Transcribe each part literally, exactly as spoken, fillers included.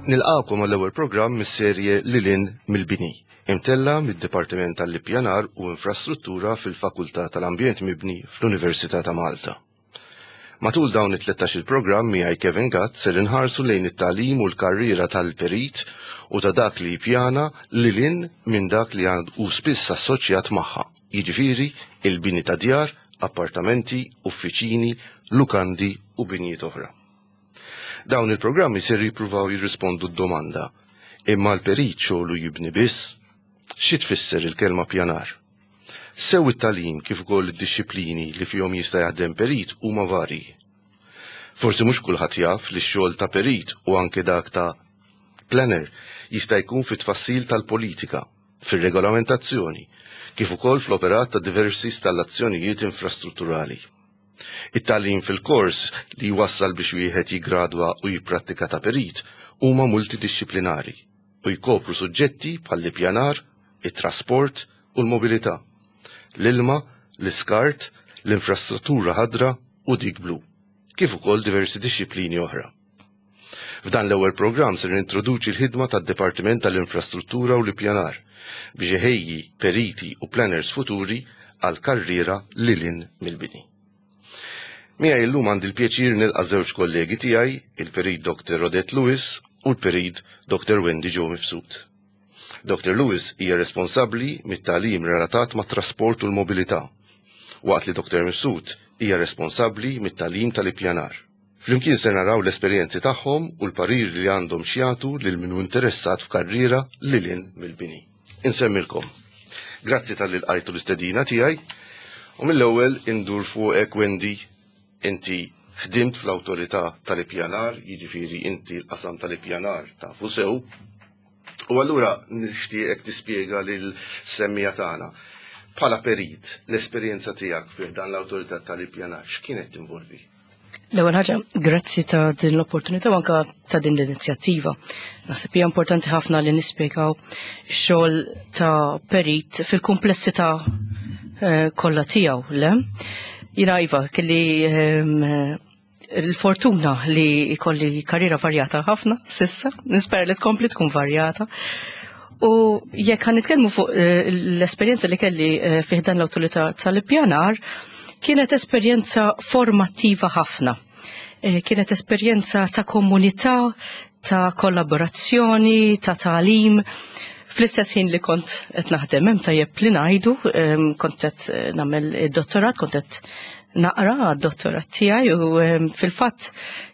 Nilqakom għall-ewwel programm mis-serje Lil hinn mill-Bini, imtella mid-Dipartiment tal-Ippjanar u Infrastruttura fil-Fakultà tal-Ambjent Mibni fl-Università ta' Malta. Matul dawn it-tlettax il-programm miegħi Kevin Gatt ser inħarsu lejn it-tagħlim u l-karriera tal-perit u ta' dak li jippjana lil hinn minn dak li għandu spiss assoċjat magħha, jiġifieri il-bini ta' djar, appartamenti, uffiċini, lukandi u binjiet oħra. Dawn il-programmi ser jippruvaw jirrispondu d-domanda: imma l-perit xogħlu jibni biss? Xi tfisser il-kelma pjanar? Sew it-tagħlim kif ukoll id-dixxiplini li fihom jista' jaħdem perit huma varji. Forsi mhux kulħadd jaf li x-xogħol ta' perit u anke dak ta' planner jista' jkun fit-tfassil tal-politika, fir-regolamentazzjoni, kif ukoll fl-operat ta' diversi installazzjonijiet infrastrutturali. It-tagħlim fil-kors li jwassal biex wieħed jigradwa u jipprattika ta' perit huma multidixxiplinari u jkopru suġġetti bħall-ippjanar, it-trasport u l-mobilità, l-ilma, l-iskart, l-infrastruttura ħadra u dik blu, kif ukoll diversi dixxiplini oħra. F'dan l-ewwel programm ser nintroduċi l-ħidma tad-Dipartiment tal-Infrastruttura u l-Ippjanar biex iħejji periti u planners futuri għal karriera lil hinn mill-bini. Miegħi llum għandi l-pjaċir nilqa' żewġ kollegi tiegħi, il-Perit Doctor Odette Lewis u l-Perit Doctor Wendy Jo Mifsud. Doctor Lewis hija responsabbli mit-tagħlim relatat mat trasport u l-mobilità, waqt li Doctor Mifsud hija responsabbli mit-tagħlim tal-ippjanar. Flimkien se naraw l-esperjenzi tagħhom u l-parir li għandhom x'jagħtu lil min hu interessat f'karriera lil hinn mill-bini. Insemmilkom. Grazzi talli lqajtu l-istedina tiegħi u mill-ewwel indur fuqek, Wendy, inti ħdimt fl-awtorità tal-ippjanar, jiġifieri inti l-qasam tal-ippjanar tafu sew. U allura nixtieqek tispjega lil semmiegħa tagħna. Bħala perit, l-esperjenza tiegħek fih dan l-awtorità tal-ippjanar x'kienet tinvolvi? L-ewwel ħaġa, grazzi ta' din l-opportunità u anka ta' din l-inizjattiva. Naħseb hija importanti ħafna li nispjegaw x-xogħol ta' perit fil-komplessità eh, kollha tiegħu, le? Jiena iva, kelli ehm, il-fortuna li jkolli karriera varjata ħafna s'issa, nispera li tkompli tkun varjata. U jekk ħa nitkellmu fuq eh, l-esperjenza li kelli eh, fih dan l-awtorità tal-ippjanar, kienet esperjenza formattiva ħafna. Eh, Kienet esperjenza ta' komunità, ta' kollaborazzjoni, ta' tagħlim. Fl-istess ħin li kont qed naħdem hemm, tajjeb li ngħidu, em, kont qed eh, nagħmel id-dottorat, kont qed naqra għad-dottorat tiegħi u em, fil-fatt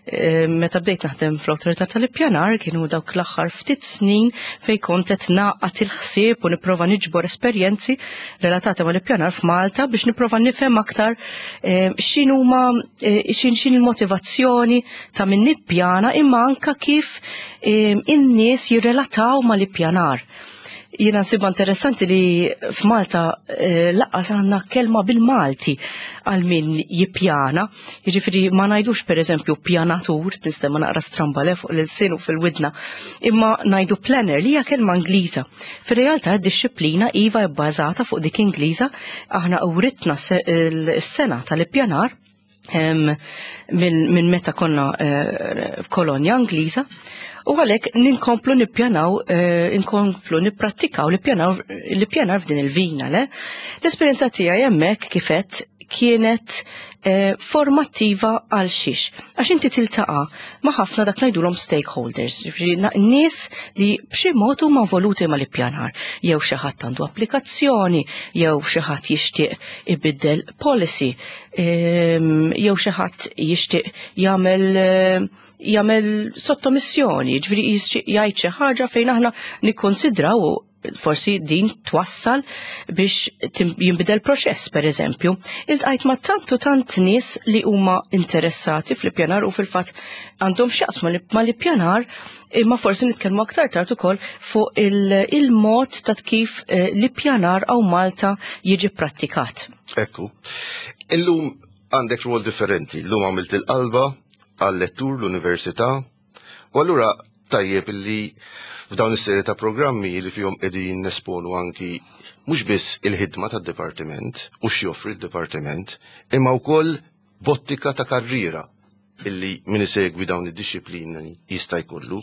em, meta bdejt naħdem fl-awtorità tal-ippjanar kienu dawk l-aħħar ftit snin fejn kont qed naqgħad il-ħsieb u nipprova niġbor esperjenzi relatati mal-ippjanar f'Malta biex nipprova nifhem aktar em, x'inhuma eh, xin xin il-motivazzjoni ta' min nippjana imma anka kif em, in-nies jirrelataw mal-ippjanar. Jiena nsibha interessanti li f'Malta eh, lanqas għandna kelma bil-Malti għal min jippjana. Jiġifieri ma ngħidux, per eżempju, pjanatur, tinstema naqra stramba le fuq l-ilsien u fil-widna, imma ngħidu planner li hija kelma Ingliża. Fir-realtà d-dixxiplina iva bbażata fuq dik Ingliża, aħna uritna s-sengħa tal-ippjanar em, minn min meta konna eh, f'kolonja Ingliża u għalhekk ninkomplu nippjanaw, eh, inkomplu nipprattikaw l-ippjanar l-ippjanar f'din il-vina, le? L-esperjenza tiegħi hemmhekk kifet kienet eh, formattiva għal xiex. Għax inti tiltaqa' ma' ħafna dak ngħidulhom stakeholders, jiġifieri na- nies li b'xi mod huma involuti mal-ippjanar, jew xi ħadd għandu applikazzjoni, jew xi ħadd jixtieq ibiddel policy, em, jew xi ħadd jixtieq jagħmel eh, jagħmel sottomissjoni, ġifieri jixtieq jgħid xi ħaġa fejn aħna nikkonsidraw forsi din twassal biex tim- jinbidel proċess, per eżempju. Iltqajt ma' tant u tant nies li huma interessati fl-ippjanar u fil-fatt għandhom x'jaqsmu li- mal-ippjanar, imma forsi nitkellmu aktar tard ukoll fuq il- il-mod ta' kif eh, l-ippjanar hawn Malta jiġi prattikat. Ekku. Illum għandek rwol differenti. Illum għamilt il-qalba għal-lettur l-università. U allura tajjeb illi f'dawn is-serje ta' programmi li fihom qegħdin nesponu anki mhux biss il-ħidma tad-dipartiment u x'joffri d-dipartiment, imma wkoll bottika ta' karriera illi min isegwi dawn id-dixxiplini jista' jkollu.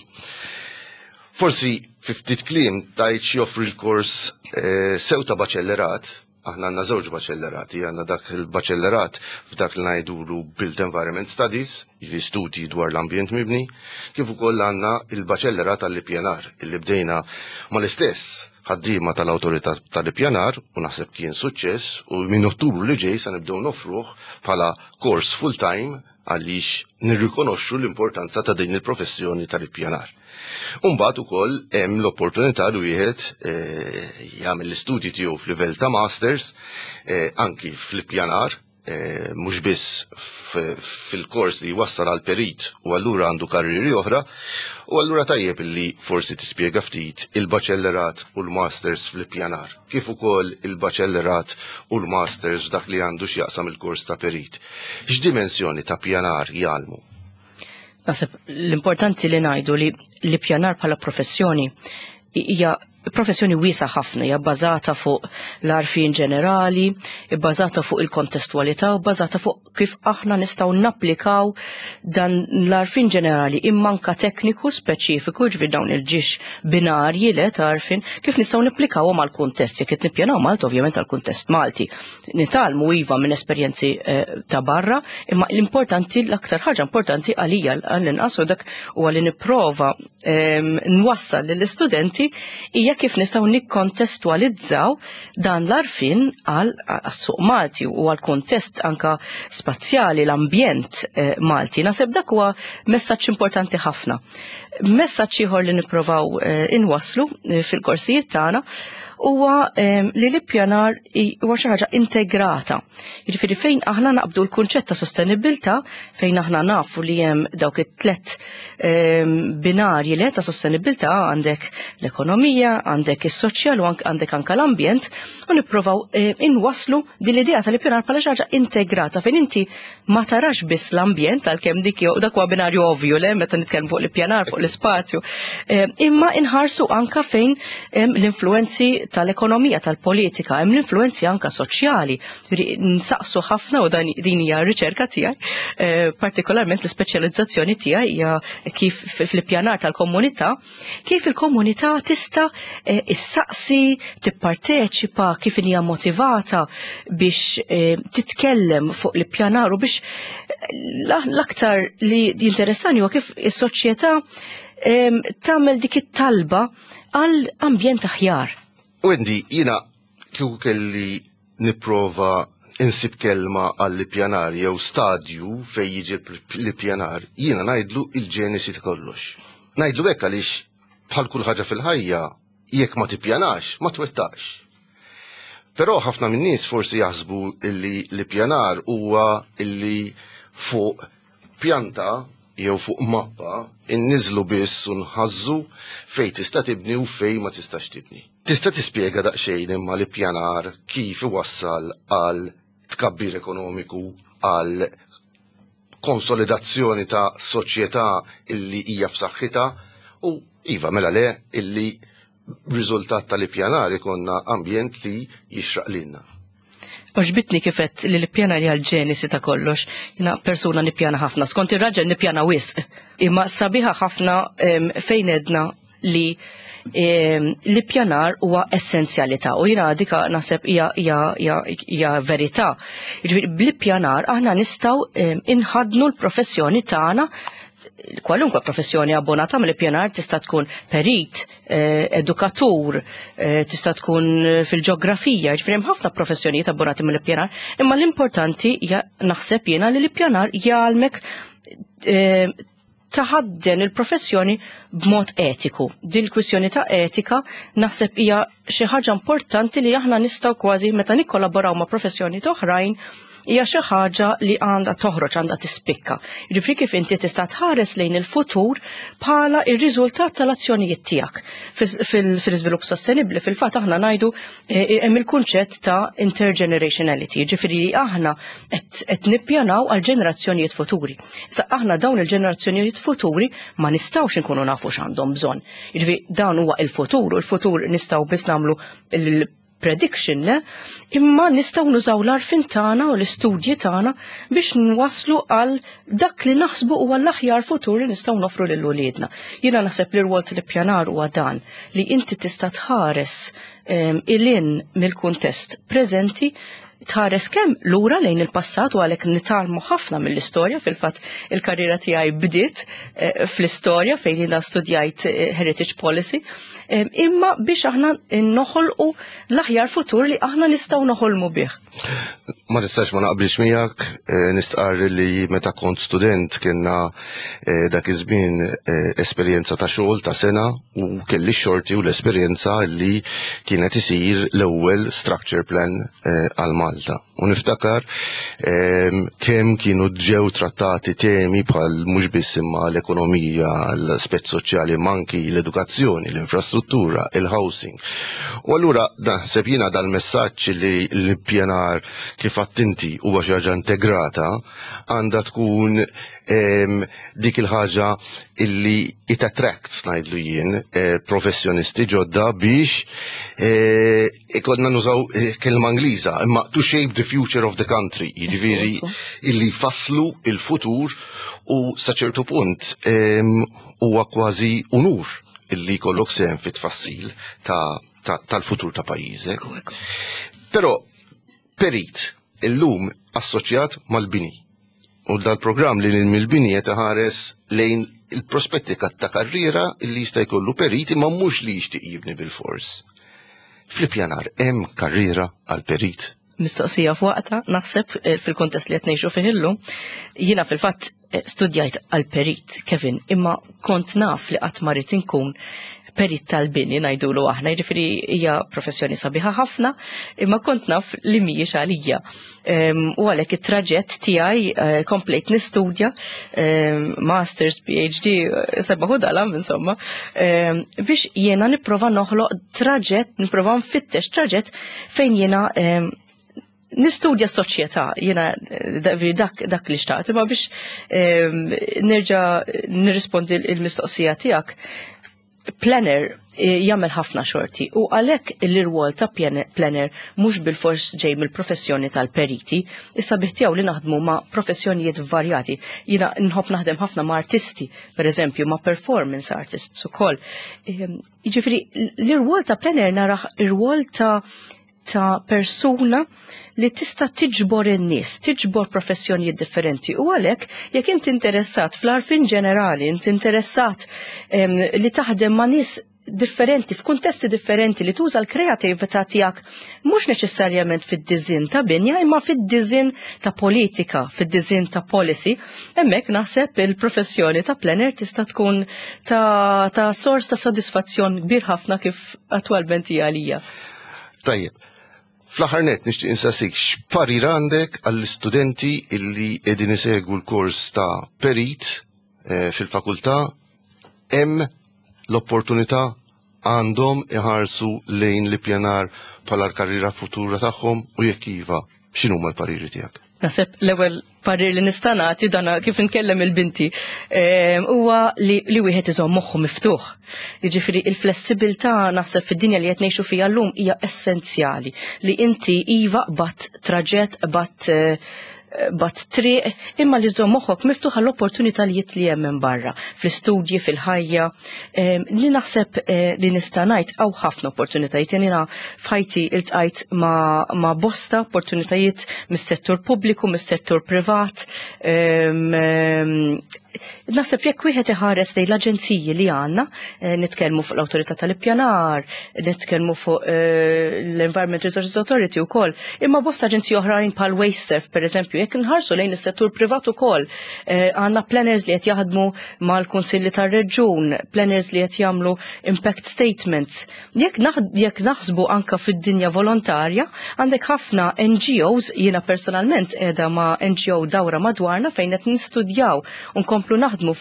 Forsi fi ftit kliem tgħid x'joffri l-kors eh, sew ta' baċellerat. Aħna għandna żewġ baċellerati, għandna dak il-baċellerat f'dak li ngħidulu Built Environment Studies, jiġifieri studji dwar l-ambjent mibni, kif ukoll għandna il-baċellerat għall-ippjanar, illi bdejna mal-istess ħaddiema tal-Awtorità tal-Ippjanar u naħseb kien suċċess, u minn Ottubru li ġej sa nibdew nofruh bħala kors full-time għaliex nirrikonoxxu l-importanza ta' din il-professjoni tal-ippjanar. Umbagħad ukoll hemm l-opportunità li wieħed eh, jagħmel l-istudji tiegħu f'livell ta' masters eh, anki fl-ippjanar, eh, mhux biss fil-kors li jwassal għal perit u allura għandu karriri oħra, u allura tajjeb li forsi tispjega ftit il-baċellerat u l-masters fl-ippjanar, kif ukoll il-baċellerat u l-masters dak li għandu x'jaqsam il-kors ta' perit. X'dimensjoni ta' pjanar jgħallmu? Naħseb l-importanti li ngħidu li l-ippjanar bħala professjoni hija professjoni wiesgħa ħafna, hija bbażata fuq l-għarfien ġenerali, bbażata fuq il-kontestwalità u bbażata fuq kif aħna nistgħu napplikaw dan l-għarfien ġenerali imma anka tekniku speċifiku, ġifieri dawn il-ġiex binarji le ta' għarfien, kif nistgħu nipplikawhom għall-kuntest. Jekk qed nippjanaw Malta, ovvjament għall-kuntest Malti. Nitgħallmu iva minn esperjenzi eh, ta' barra, imma l-importanti, l-aktar ħaġa importanti għalija għall-inqas u dak huwa li nipprova ehm, nwassal lill-istudenti hija kif nistgħu nikkontestwalizzaw dan l-għarfien għal suq Malti u għal kuntest anka spazjali, l-ambjent eh, Malti. Naħseb dak huwa messaġġ importanti ħafna. Messaġġ ieħor li nipprovaw eh, inwasslu eh, fil-korsijiet tagħna huwa li l-ippjanar huwa xi ħaġa integrata. Jiġifieri fejn aħna naqbdu l-kunċett ta' sostenibilità, fejn aħna nafu li hemm dawk it-tlet binarji li ta' sostenibilità, għandek l-ekonomija, għandek is-soċjal u għandek anka l-ambjent, u nippruvaw inwasslu din l-idea tal-ippjanar bħala xi ħaġa integrata fejn inti ma tarax biss l-ambjent, għalkemm dik dak huwa binarju ovvju le meta nitkellmu fuq l-ippjanar fuq l-ispazju, imma inħarsu anka fejn l-influenzi tal-ekonomija, tal-politika, hemm l-influenzi anka soċjali. Nsaqsu ħafna u dan din hija r-riċerka tiegħi, eh, partikolarment l-ispeċjalizzazzjoni tiegħi hija kif fl-ippjanar tal-komunità, kif il-komunità tista' eh, issaqsi, tipparteċipa, kif hija motivata biex eh, titkellem fuq l-ippjanar u biex l-aktar li jinteressani huwa kif is-soċjetà tagħmel dik it-talba għal ambjent aħjar. Wendy, jiena kieku kelli nipprova insib kelma għall-ippjanar jew stadju fej jiġi l-ippjanar, jiena ngħidlu il-ġenesi ta' kollox. Ngħidlu hekk għaliex bħal kull ħaġa fil-ħajja, jekk ma tippjanax, ma twettax. Però ħafna minn nies forsi jaħsbu illi l-ippjanar huwa illi fuq pjanta jew fuq mappa inniżlu biss u nħażżu fej tista' tibni u fej ma tistax tibni. Tista' tispjega daqsxejn imma l-ippjanar kif iwassal għal tkabbir ekonomiku, għal konsolidazzjoni ta' soċjetà illi hija f'saħħitha u iva mela le illi riżultat tal-ippjanar ikonna ambjent li jixraq lilna. Għoġbitni kif għedt li l-ippjanar hija l-ġenesi ta' kollox. Jiena persuna nippjana ħafna. Skont ir-raġel nippjana wisq. Imma sabiħa ħafna fejn għedna li l-ippjanar huwa essenzjalità u jiena dika naħseb hija verità. Jiġifieri bl-ippjanar aħna nistgħu inħadnu l-professjoni tagħna, kwalunkwe professjoni abbonata mill-ippjanar, tista' tkun perit, eh, edukatur, eh, tista' tkun fil-ġeografija, ġifieri hemm ħafna professjonijiet abbonati mill-ippjanar, imma l-importanti hija naħseb jiena li l-ippjanar jgħallmek eh, taħadden il-professjoni b'mod etiku. Din il-kwistjoni ta' etika naħseb hija xi ħaġa importanti li aħna nistgħu kważi meta nikkollaboraw ma' professjoni oħrajn hija xi ħaġa li għandha toħroġ, għandha tispikka. Jiġifieri kif inti tista' tħares lejn il-futur bħala ir-riżultat tal-azzjonijiet tiegħek. Fil-iżvilupp sostenibbli fil-fatt aħna ngħidu eh, hemm il-kunċett ta' intergenerationality, jiġifieri li aħna qed nippjanaw għal ġenerazzjonijiet futuri. Issa aħna dawn il-ġenerazzjonijiet futuri ma nistgħux inkunu nafu x'għandhom bżonn. Jiġifieri dan huwa il-futur u l-futur nistgħu biss nagħmlu prediction, le, imma nistgħu nużaw l-għarfien tagħna u l-istudji tagħna biex nwaslu għal dak li naħsbu huwa l-aħjar futur li nistgħu nofru lil uliedna. Jiena naħseb li r-rwol tal-ippjanar huwa dan, li inti tista' tħares lil hinn mill-kuntest preżenti, tħares kemm lura lejn il-passat, u għalhekk nitgħallmu ħafna mill-istorja. Fil-fatt il-karriera tiegħi bdiet eh, fl-istorja fejn jiena studjajt eh, heritage policy, imma biex aħna noħolqu l-aħjar futur li aħna nistgħu noħolmu bih. Ma nistax ma naqbilx miegħek, eh, nistqarr li meta kont student kienna dak iż-żmien esperjenza ta' xogħol ta' sena u kelli xorti u l-esperjenza li kienet isir l-ewwel structure plan għal Malta. U niftakar kemm kienu ġew trattati temi bħal mhux biss imma l-ekonomija, l-aspett soċjali, manki l-edukazzjoni, l-infrastruttura, il-housing. U allura naħseb jiena dal-messaġġ li l-ippjanar, kif inti, huwa xi ħaġa integrata, għandha tkun dik il-ħaġa illi it attracts, ngħidlu jien, eh, professjonisti ġodda biex eh, ikollna nużaw eh, kelma Ingliża, imma to shape the future of the country, jiġifieri illi faslu il-futur, u sa ċertu punt huwa kważi unur illi jkollok sehem fit-tfassil tal-futur ta' pajjiżek. Però perit illum assoċjat mal-bini. U dal-programm Lil Hinn mill-Bini qed iħares lejn il-prospetti ta' karriera illi jista' jkollu perit, imma mhux li jixtieq jibni bil-fors. Fl-ippjanar hemm karriera għal perit? Mistoqsija f'waqta, naħseb, eh, fil-kontest li qed ngħixu fih illum. Jiena fil-fatt eh, studjajt għal perit, Kevin, imma kont naf li qatt ma rrid inkun perit tal-bini, ngħidulu aħna, jiġifieri hija professjoni sabiħa ħafna, imma kont naf li mhijiex għalija. U għalhekk it-traġett tiegħi eh, komplejt nistudja, masters, P H D, sebbaħ u dalam, insomma, biex jiena nipprova noħloq traġett, nipprova nfittex traġett fejn jiena nistudja s-soċjetà, jiena dak, dak li xtaqt, imma biex nerġa' nirrispondi il-mistoqsija tiegħek, planner eh, jagħmel ħafna xorti u għalhekk l-irwol ta' planner mhux bil-fors ġej mill-professjoni tal-periti, issa biħtijaw li naħdmu ma' professjonijiet varjati. Jiena nħobb naħdem ħafna ma' artisti, per eżempju, ma' performance artists ukoll. Ehm, jiġifieri l-irwol ta' planner naraħ ir-rwol ta' ta' persuna li tista' tiġbor in-nies, tiġbor professjonijiet differenti, u għalhekk jekk inti interessat fl-għarfien ġenerali, inti interessat em, li taħdem ma' nies differenti, f'kuntesti differenti, li tuża l-kreatività tiegħek mhux neċessarjament fid-disinn ta' binja imma fid-disinn ta' politika, fid-disinn ta' policy, hemmhekk naħseb il-professjoni ta' planner tista' tkun ta', ta' sors ta' sodisfazzjon kbir ħafna, kif attwalment hija għalija. Tajjeb. Fl-aħħar net nixtieq insaqsik x'parir għandek għall-istudenti illi qegħdin isegwu l-kors ta' perit eh, fil-fakultà. Hemm l-opportunità? Għandhom iħarsu lejn l-ippjanar bħala l-karriera futura tagħhom, u jekk iva, x'inhuma l-pariri tiegħek? Naħseb l-ewwel parir li nista' nagħti, dana kif nkellem il-binti, ehm, huwa li, li wieħed iżomm moħħu miftuħ. Jiġifieri il-flessibilità, naħseb, fid-dinja li qed ngħixu fiha llum hija essenzjali, li inti iva qbadt traġett, qbadt eh, qbadt triq, imma li żomm moħħok miftuħ għall-opportunitajiet li hemm minn barra, fl-istudji, fil-ħajja, Ehm, li naħseb eh, li nista' ngħid hawn ħafna opportunitajiet. Jiena f'ħajti iltqajt ma', ma bosta opportunitajiet mis-settur pubbliku, mis-settur privat. Ehm, ehm, Naħseb jekk wieħed iħares lejn l-aġenziji li għandna, eh, nitkellmu fuq l-Awtorità tal-Ippjanar, nitkellmu fuq eh, l-Environment Resources Authority wkoll, imma bosta aġenziji oħrajn bħal WasteServ, per eżempju, jekk nħarsu lejn is-settur privat ukoll, eh, għandna planners li qed jaħdmu mal-kunsilli tar-reġjun, planners li qed jagħmlu impact statements. Jekk jekk naħsbu anka fid-dinja volontarja, għandek ħafna N G Os, jiena personalment qiegħda ma' N G O Dawra Madwarna fejn qed nistudjaw u nkomplu naħdmu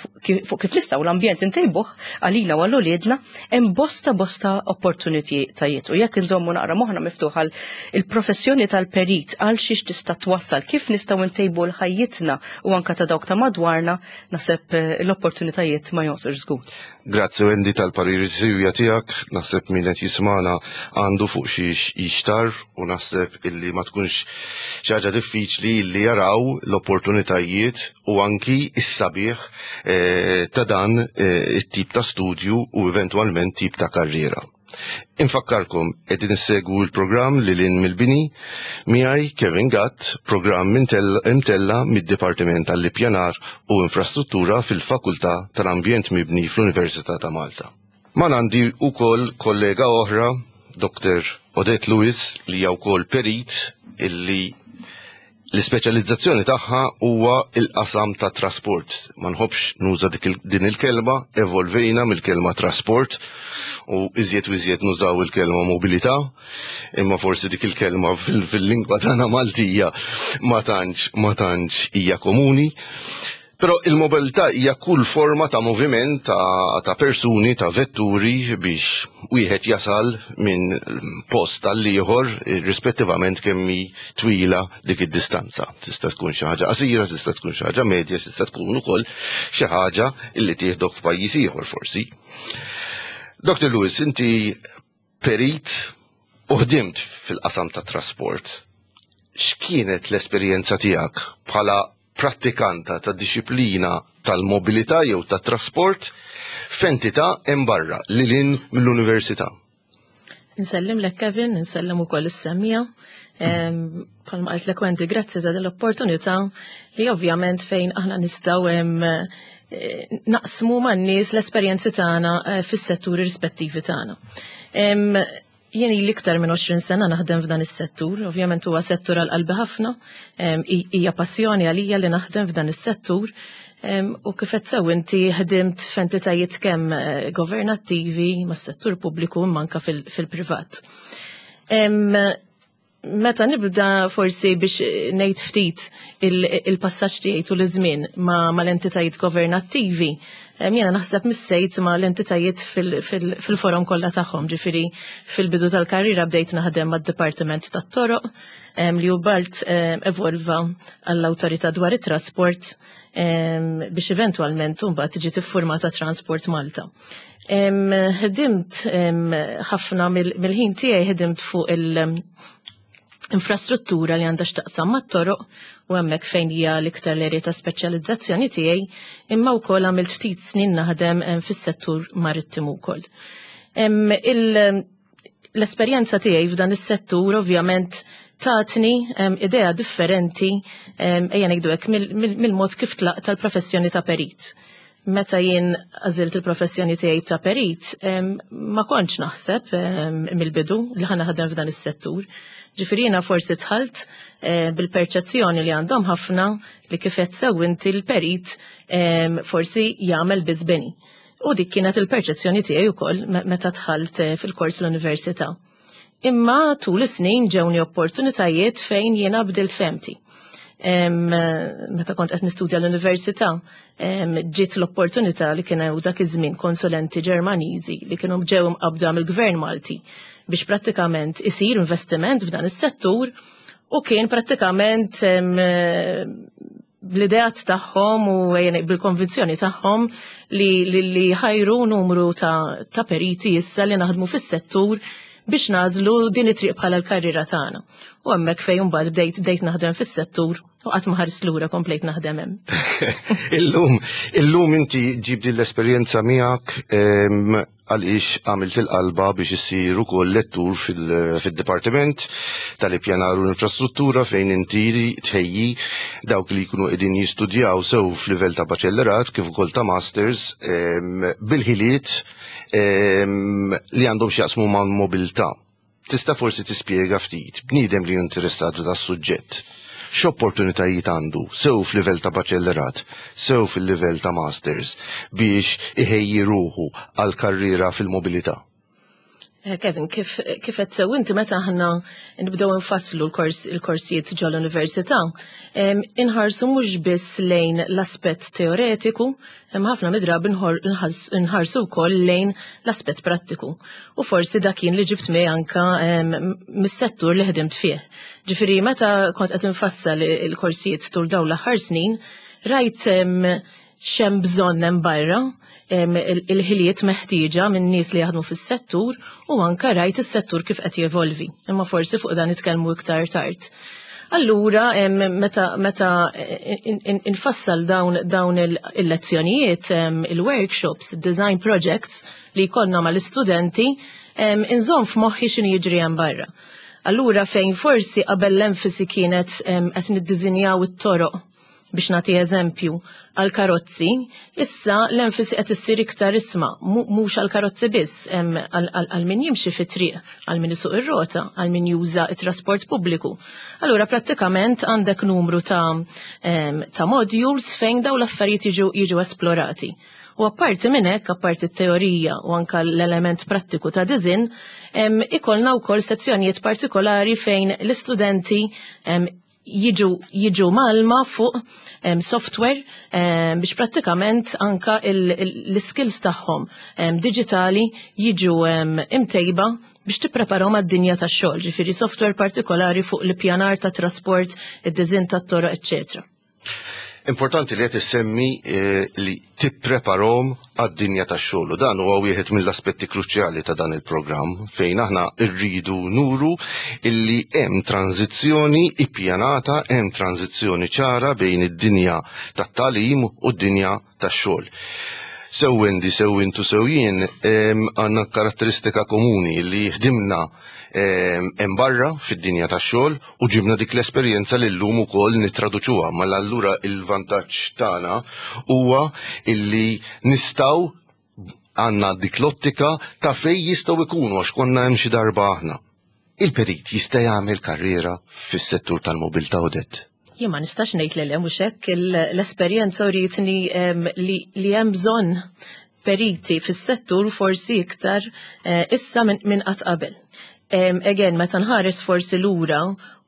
fuq kif nistgħu l-ambjent intejbuh għalina u għal uliedna. Hemm bosta bosta opportunitajiet u jekk inżommu naqra moħħna miftuħ għal il-professjoni tal-perit, għal xiex tista' twassal, kif nistgħu ntejbu l-ħajjitna u anka ta' dawk ta' madwarna, naħseb eh, l-opportunitajiet ma jonqsux żgur. Grazzi, Wendy, tal-pariri siewja tiegħek. Naħseb min qed jismana għandu fuq xiex jixtar u naħseb illi ma tkunx xi ħaġa diffiċli illi jaraw l-opportunitajiet u anki is-sabiħ eh, ta' dan eh, it-tip ta' studju u eventwalment tip ta' karriera. Infakkarkom qegħdin issegwu l-programm Lil Hinn mill-Bini miegħi Kevin Gatt, programm imtella mid-Dipartiment tal-Ippjanar u Infrastruttura fil-Fakultà tal-Ambjent Mibni fl-Università ta' Malta. Ma għandi ukoll kollega oħra, Doktor Odette Lewis, li hija wkoll perit illi l-ispeċjalizzazzjoni tagħha huwa il-qasam ta' trasport. Ma nħobbx nuża dik din il-kelma, evolvejna mill-kelma trasport u iżjed u iżjed nużaw il-kelma mobilità, imma forsi dik il-kelma fil-lingwa tagħna Maltija ma tantx ma tantx hija komuni. Però il-mobilità hija kull forma ta' moviment ta', ta' persuni, ta' vetturi biex wieħed jasal minn post għal ieħor rispettivament kemm hi twila dik id-distanza. Tista' tkun xi ħaġa qasira, tista' tkun xi ħaġa medja, tista' tkun ukoll xi ħaġa illi tieħdok f'pajjiż ieħor forsi. Doktor Lewis, inti perit u ħdimt fil-qasam ta' trasport. X'kienet l-esperjenza tiegħek bħala prattikanta ta' disciplina tal-mobilità jew ta' trasport f'entità hemm barra lil hinn mill-università? Insellem lek, Kevin, insellem ukoll is-semmiegħa. Bħalma qaltlek Wendy, grazzi ta' din l-opportunità li ovvjament fejn aħna nistgħu eh, naqsmu man-nies l-esperjenzi tagħna eh, fis-setturi rispettivi tagħna. Jien ili iktar minn għoxrin sena naħdem f'dan is-settur, ovvjament huwa settur għal qalbi ħafna, hija passjoni għalija li naħdem f'dan is-settur, u kif qed sew inti ħdimt f'entitajiet kemm eh, governattivi mas-settur pubbliku imma anke fil-privat. Meta nibda forsi biex ngħid ftit il-passaġġ tiegħi tul iż-żmien ma' mal-entitajiet governattivi, jiena naħseb missejt ma' l-entitajiet fil-forom kollha tagħhom, ġifieri fil-bidu tal-karriera bdejt naħdem mad-Dipartiment tat-Toroq li hu balt evolva għall-Awtorità dwar it-Trasport biex eventwalment mbagħad tiġi tiffurmata Transport Malta. Ħdimt ħafna mill-ħin tiegħi ħdimt fuq il- infrastruttura li għandha x'taqsam mat-toroq u hemmhekk fejn hija l-iktar l-erja ta' speċjalizzazzjoni tiegħi, imma wkoll għamilt ftit snin naħdem fis-settur marittimu wkoll. L-esperjenza tiegħi f'dan is-settur ovvjament tatni idea differenti, ejja ngħidu hekk, mill-mod kif tlaqt tal-professjoni ta' perit. Meta jien għażilt il-professjoni tiegħi ta' perit, ma kontx naħseb mill-bidu li ħa naħdem f'dan is-settur. Ġifieri jiena forsi dħalt eh, bil-perċezzjoni li għandhom ħafna li kif qed sew inti l-perit forsi jagħmel biss bini. U dik kienet il-perċezzjoni tiegħi wkoll meta dħalt eh, fil-kors l-università. Imma tul is-snin ġewni opportunitajiet fejn jiena bdilt fehmti. Meta kont qed nistudja l-università, ġiet l-opportunità li kien hemm dak iż-żmien konsulenti Ġermaniżi li kienu ġew imqabda mill-Gvern Malti biex prattikament isir investiment f'dan is-settur u kien prattikament bl-ideat tagħhom u bil-konvinzjoni tagħhom li, li, li ħajru numru ta', ta' periti issa li naħdmu fis-settur biex nagħżlu din it-triq bħala l-karriera tagħna. U hemmhekk fejn mbagħad bdejt bdejt naħdem fis-settur u qatt ma ħarist lura, komplejt naħdem hemm. Illum, illum inti ġib din l-esperjenza miegħek għaliex għamilt il-qalba biex issir ukoll lettur fil-Dipartiment tal-Ippjanar u l-Infrastruttura fejn inti tħejji dawk li jkunu qegħdin jistudjaw sew f'livell ta' baċellerat kif ukoll ta' masters bil-ħiliet li għandhom x'jaqsmu ma' mobilità. Tista' forsi tispjega ftit, bniedem li interessat da' suġġett, x'opportunitajiet għandu sew f'livell ta' baċellerat, sew fil-livell ta' masters biex iħejji ruħu għal karriera fil-mobilità? Eh, Kevin, kif kif qed sew inti, meta aħna nibdew nfasslu l-kors il-korsijiet ġol-università, inħarsu mhux biss lejn l-aspett teoretiku, hemm ħafna midrabi nħarsu wkoll lejn l-aspett prattiku. U forsi dak kien li ġibt miegħi anka mis-settur li ħdimt fih. Ġifieri meta kont qed infassal il-korsijiet tul dawn l-aħħar snin, rajt X'hemm bżonn hemm barra, il-ħiliet meħtieġa minn nies li jaħdmu fis-settur u anka rajt is-settur kif qed jevolvi. Imma forsi fuq dan nitkellmu iktar tard. Allura, meta, meta infassal dawn, dawn il-lezzjonijiet, il-workshops, design projects li jkollna mal-istudenti, inżomm f'moħħi x'inhu jiġri hemm barra. Allura, fejn forsi qabel l-enfasi kienet qed niddiżinjaw it-toroq, biex nagħti eżempju, għal karozzi, issa l-enfasi qed issir iktar, isma', mhux għal karozzi biss, għal min jimxi fit-triq, għal min isuq ir-rota, għal min juża it-trasport pubbliku. Allura prattikament għandek numru ta' ta' modules fejn daw l-affarijiet jiġu jiġu esplorati. U apparti minn hekk, apparti t-teorija u anka l-element prattiku ta' design, ikollna wkoll sezzjonijiet partikolari fejn l-istudenti jiġu jiġu mgħallma fuq um, software um, biex prattikament anka l-skills tagħhom um, digitali jiġu um, imtejba biex tippreparahom għad-dinja tax-xogħol, ġifieri software partikolari fuq l-ippjanar ta' trasport, id-design tat-toroq, eċċetera. Importanti li qed issemmi eh, li tippreparahom għad-dinja tax-xogħol. Dan huwa wieħed mill-aspetti kruċjali ta' dan il-programm, fejn aħna rridu nuru illi hemm tranzizzjoni ippjanata, hemm tranzizzjoni ċara bejn id-dinja tat-tagħlim u d-dinja tax-xogħol. Sew Wendy, sew intu, sew jien, għandna karatteristika komuni li ħdimna hemm barra fid-dinja tax-xogħol u ġibna dik l-esperjenza li llum ukoll nittraduċuha. Mela allura il-vantaġġ tagħna huwa illi nistgħu għandna dik l-ottika ta' fej jistgħu jkunu għax konna hemm xi darba aħna. Il-perit jista' jagħmel karriera fis-settur tal-mobilità, Odette? Jien ma nistax ngħid li le, mhux hekk. L-esperjenza urietni li hemm bżonn periti fis-settur, forsi iktar eh, issa minn qatt qabel. Again, meta nħares forsi lura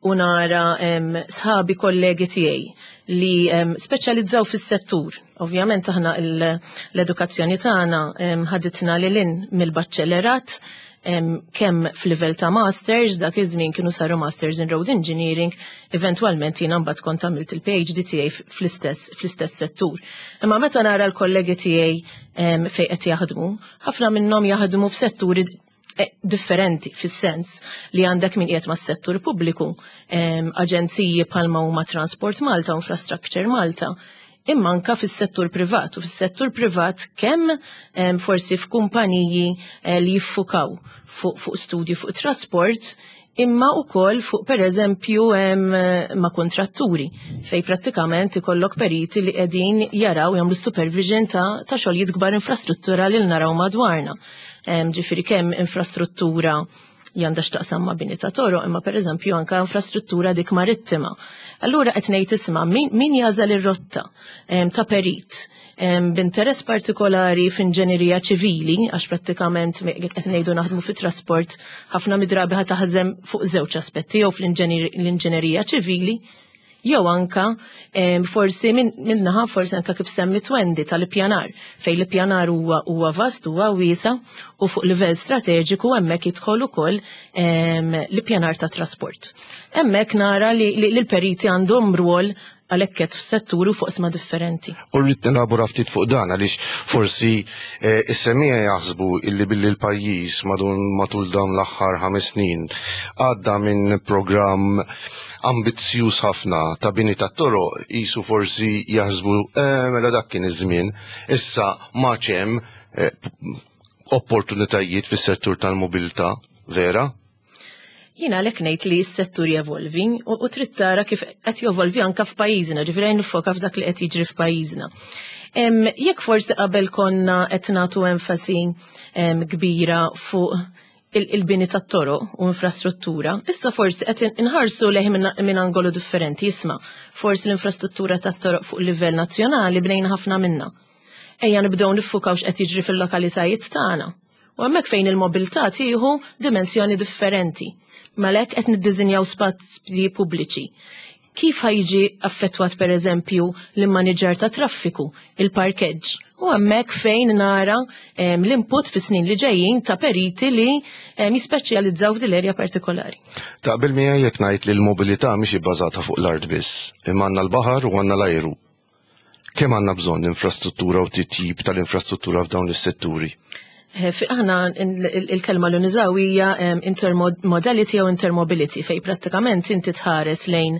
u nara sħabi, kollegi tiegħi li speċjalizzaw fis-settur. Ovvjament aħna l-edukazzjoni tagħna ħaditna lil hinn mill-baċċellerat, kemm f'livell ta' masters, dak iż-żmien kienu saru masters in road engineering, eventwalment jiena mbagħad kont għamilt il-P H D tiegħi fl-istess fl-istess settur. Imma meta nara l-kollegi tiegħi fejn qed jaħdmu, ħafna minnhom jaħdmu f'setturi eh, differenti, fis-sens li għandek min qiegħed mas-settur pubbliku, aġenziji bħalma huma Transport Malta u Infrastructure Malta, imma anka fis-settur privat. U fis-settur privat kemm forsi f'kumpaniji eh, li jiffukaw fuq fu studji fuq trasport, imma ukoll fuq, per eżempju, ma' kontratturi, fej prattikament ikollok periti li qegħdin jaraw, jagħmlu supervision ta', ta' xogħlijiet kbar infrastruttura li naraw madwarna. Ġifieri kemm infrastruttura għandha x'taqsam ma' bini ta' toroq, imma per eżempju anka infrastruttura dik marittima. Allura qed ngħid, isma', min, min jażel ir-rotta ta' perit b'interess partikolari f'inġenerija ċivili, għax prattikament qed ngħidu naħdmu fit-trasport, ħafna midrabi ħa taħdem fuq żewġ aspetti, jew fl-inġenerija ċivili jew anka forsi minnaħa forsi anka kif semmi Wendy tal-ippjanar, fej l-ippjanar huwa huwa vast, huwa wiesa, u fuq livell strateġiku hemmhekk jidħol ukoll l-ippjanar ta' trasport. Hemmhekk nara li l-periti għandhom rwol għalhekk qed f'settur u fuq oqsma differenti. U rrid nelabora ftit fuq dan għaliex forsi eh, is-semmiegħa jaħsbu illi billi l-pajjiż matul dawn l-aħħar ħames snin għadda minn programm ambizzjuż ħafna ta' bini ta' toroq, jisu forsi jaħsbu eh, mela dak kien iż-żmien, issa ma hemm eh, opportunitajiet fis-settur tal-mobilità, vera? Jiena għalhekk ngħid li s-settur jevolvi u, u trid tara kif qed jevolvi anka f'pajjiżna, ġifieri nifoka f'dak li qed jiġri f'pajjiżna. Jekk forsi qabel konna qed nagħtu enfasi kbira fuq il-bini tat-toroq u infrastruttura, issa forsi qed inħarsu lejh minn angolu differenti, isma', forsi l-infrastruttura tat-toroq fuq livell nazzjonali bnejna ħafna minna. Ejja nibdew niffukaw x'qed jiġri fil-lokalitajiet tagħna. U hemmhekk fejn il-mobilità tieħu dimensjoni differenti. Malek qed niddiżinjaw spazji pubbliċi. Kif ħa jiġi affettwat, per eżempju, l-immaniġġar ta' traffiku, il-parkeġġ? U hemmhekk fejn nara l-input fis snin li ġejjin ta' periti li jispeċjalizzaw f'dil erja partikolari. Taqbel miegħi jekk ngħid li l-mobilità mhix ibbażata fuq l-art biss, imma għandna l-baħar u għandna l-ajru. Kemm għandna bżonn infrastruttura u titjib tal-infrastruttura f'dawn is-setturi? Eh, aħna il-kelma li nużaw hija intermodality jew intermobility, fej prattikament inti tħares lejn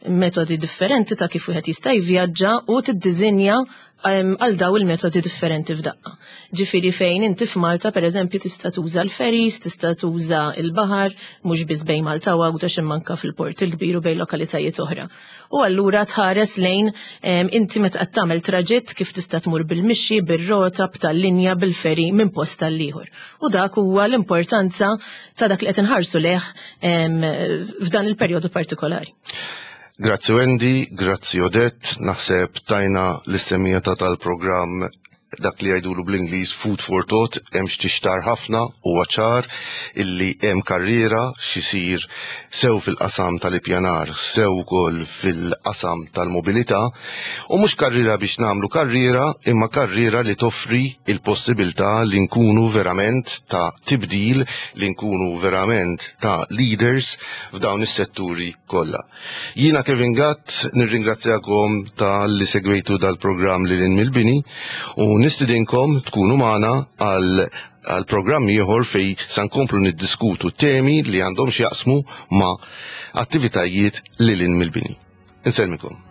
metodi differenti ta' kif wieħed jista' jivvjaġġa u tiddiżinja għal daw il-metodi differenti f'daqqa. Ġifieri fejn inti f'Malta, per eżempju, tista' tuża l-ferries, tista' tuża l-baħar, mhux biss bejn Malta u Għawdex imma anke fil-Port il-Kbir u bejn lokalitajiet oħra. U allura tħares lejn inti meta qed tagħmel traġitt kif tista' tmur bil-mixi, bir-rota, b'tal-linja, bil-ferry minn post għal ieħor. U dak huwa l-importanza ta' dak li qed inħarsu lejh f'dan il-perjodu partikolari. Grazzi Wendy, grazzi Odette, naħseb tajna lis-semmiegħa ta' tal-programm dak li jgħidulu bl-Ingliż food for thought. Hemm x'tixtar ħafna u ċar illi hemm karriera x'isir sew fil-qasam tal-ippjanar, sew ukoll fil-qasam tal-mobilità, u mhux karriera biex nagħmlu karriera, imma karriera li toffri il-possibilità li nkunu verament ta' tibdil, li nkunu verament ta' leaders f'dawn is-setturi kollha. Jiena Kevin Gatt, nirringrazzjakom talli segwejtu dal-programm Lil Hinn mill-Bini u nistidinkom tkunu magħna għal għal programm ieħor fej sa nkomplu niddiskutu temi li għandhom x'jaqsmu ma' attivitajiet lil hinn mill-bini. Insellmilkom.